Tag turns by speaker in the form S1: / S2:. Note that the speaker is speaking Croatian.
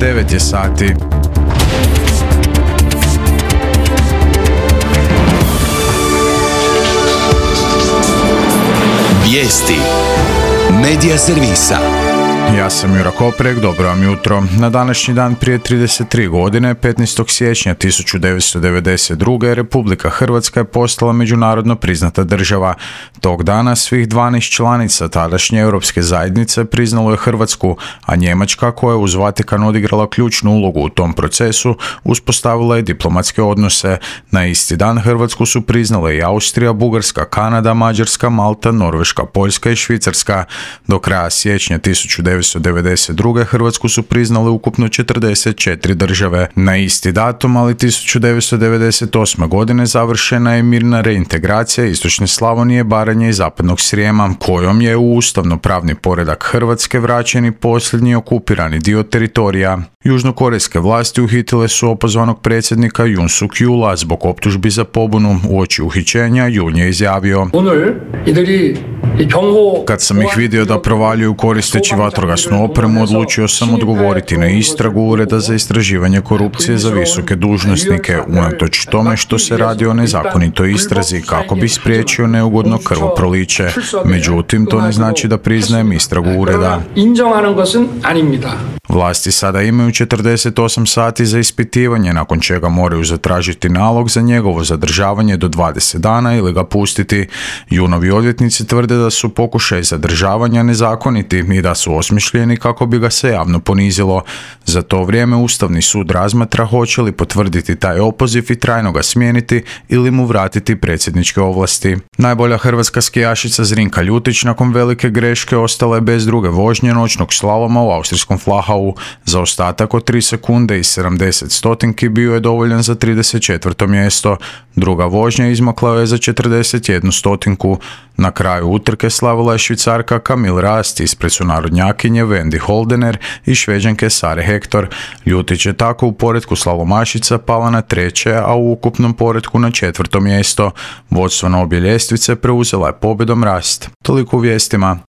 S1: 9 je sati.
S2: Vijesti Medija servisa.
S1: Ja sam Jura Koprek, dobro vam jutro. Na današnji dan prije 33 godine, 15. siječnja 1992. Republika Hrvatska je postala međunarodno priznata država. Tog dana svih 12 članica tadašnje Europske zajednice priznalo je Hrvatsku, a Njemačka, koja je uz Vatikan odigrala ključnu ulogu u tom procesu, uspostavila je diplomatske odnose. Na isti dan Hrvatsku su priznale i Austrija, Bugarska, Kanada, Mađarska, Malta, Norveška, Poljska i Švicarska. Do kraja siječnja 1992. Hrvatsku su priznale ukupno 44 države. Na isti datum, ali 1998. godine završena je mirna reintegracija istočne Slavonije, Baranje i zapadnog Srijema, kojom je u ustavno-pravni poredak Hrvatske vraćeni posljednji okupirani dio teritorija. Južnokorejske vlasti uhitile su opozvanog predsjednika Yoon Suk Yeola zbog optužbi za pobunu. Uoči uhićenja Yoon je izjavio: "Kad sam ih vidio da provaljuju koristeći vatrogasnu opremu, odlučio sam odgovoriti na istragu Ureda za istraživanje korupcije za visoke dužnosnike, unatoč tome što se radi o nezakonitoj istrazi, kako bi spriječio neugodno krvoproliće. Međutim, to ne znači da priznajem istragu ureda." Vlasti sada imaju 48 sati za ispitivanje, nakon čega moraju zatražiti nalog za njegovo zadržavanje do 20 dana ili ga pustiti. Yoonovi odvjetnici tvrde da su pokušaji zadržavanja nezakoniti i da su osmišljeni kako bi ga se javno ponizilo. Za to vrijeme Ustavni sud razmatra hoće li potvrditi taj opoziv i trajno ga smijeniti ili mu vratiti predsjedničke ovlasti. Najbolja hrvatska skijašica Zrinka Ljutić nakon velike greške ostala je bez druge vožnje noćnog slaloma u austrijskom Flachau. Zaostatak od 3 sekunde i 70 stotinki bio je dovoljan za 34. mjesto. Druga vožnja izmakla je za 41 stotinku. Na kraju utrke slavila je Švicarka Camille Rast ispred sunarodnjakinje Wendy Holdener i Šveđanke Sare Hector. Ljutić je tako u poretku slalomašica pala na 3., a u ukupnom poretku na 4. mjesto. Vodstvo na obje ljestvice preuzela je pobjedom Rast. Toliko u vijestima.